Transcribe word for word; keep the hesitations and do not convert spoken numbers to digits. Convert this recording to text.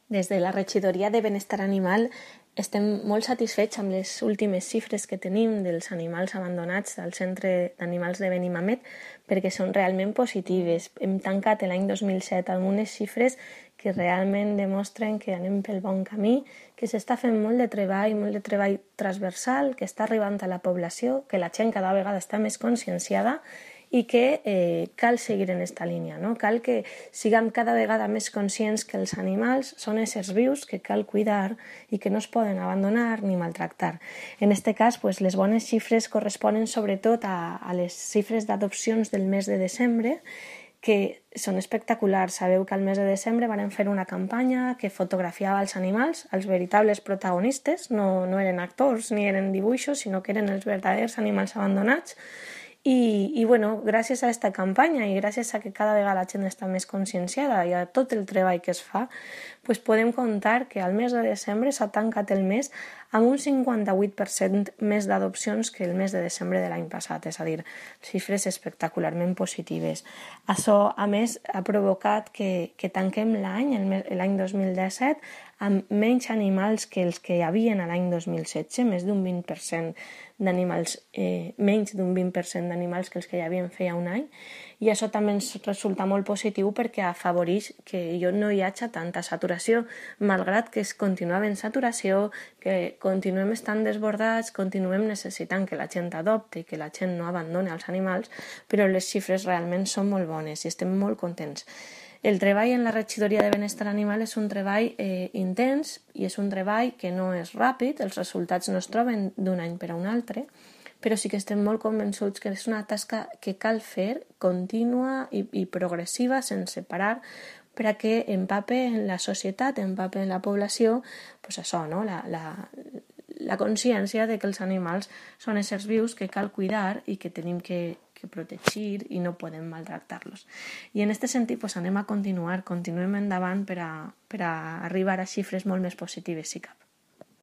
Des de la Regidoria de Benestar Animal estem molt satisfets amb les últimes xifres que tenim dels animals abandonats al Centre d'Animals de Benimàmet perquè són realment positives. Hem tancat l'any dos mil set amb unes xifres que realment demostren que anem pel bon camí, que s'està fent molt de treball, molt de treball transversal, que està arribant a la població, que la gent cada vegada està més conscienciada i que eh, cal seguir en aquesta línia, no? Cal que siguem cada vegada més conscients que els animals són éssers vius que cal cuidar i que no es poden abandonar ni maltractar. En aquest cas, pues, les bones xifres corresponen sobretot a, a les xifres d'adopcions del mes de desembre, que són espectaculars. Sabeu que al mes de desembre van fer una campanya que fotografiava els animals, els veritables protagonistes, no, no eren actors ni eren dibuixos, sinó que eren els verdaders animals abandonats. I, i bueno, gràcies a aquesta campanya i gràcies a que cada vegada la gent està més conscienciada i a tot el treball que es fa, pues podem comptar que al mes de desembre s'ha tancat el mes amb un cinquanta-vuit per cent més d'adopcions que el mes de desembre de l'any passat, és a dir, xifres espectacularment positives. Això, a més, ha provocat que, que tanquem l'any, l'any dos mil disset, amb menys animals que els que hi havia l'any dos mil setze, més d'un vint per cent d'animals, eh, menys d'un vint per cent d'animals que els que hi havia feia un any, i això també ens resulta molt positiu perquè afavoreix que no hi hagi tanta saturació, malgrat que es continua havent saturació, que continuem estant desbordats, continuem necessitant que la gent adopte i que la gent no abandoni els animals, però les xifres realment són molt bones i estem molt contents. El treball en la Regidoria de Benestar Animal és un treball eh, intens i és un treball que no és ràpid, els resultats no es troben d'un any per a un altre, però sí que estem molt convençuts que és una tasca que cal fer contínua i, i progressiva sense parar per a que empape en la societat, empape en la població, pues això, no? la, la, la consciència de que els animals són éssers vius que cal cuidar i que tenim que, que protegir i no podem maltractar-los. I en aquest sentit pues, anem a continuar, continuem endavant per a, per a arribar a xifres molt més positives, si cap.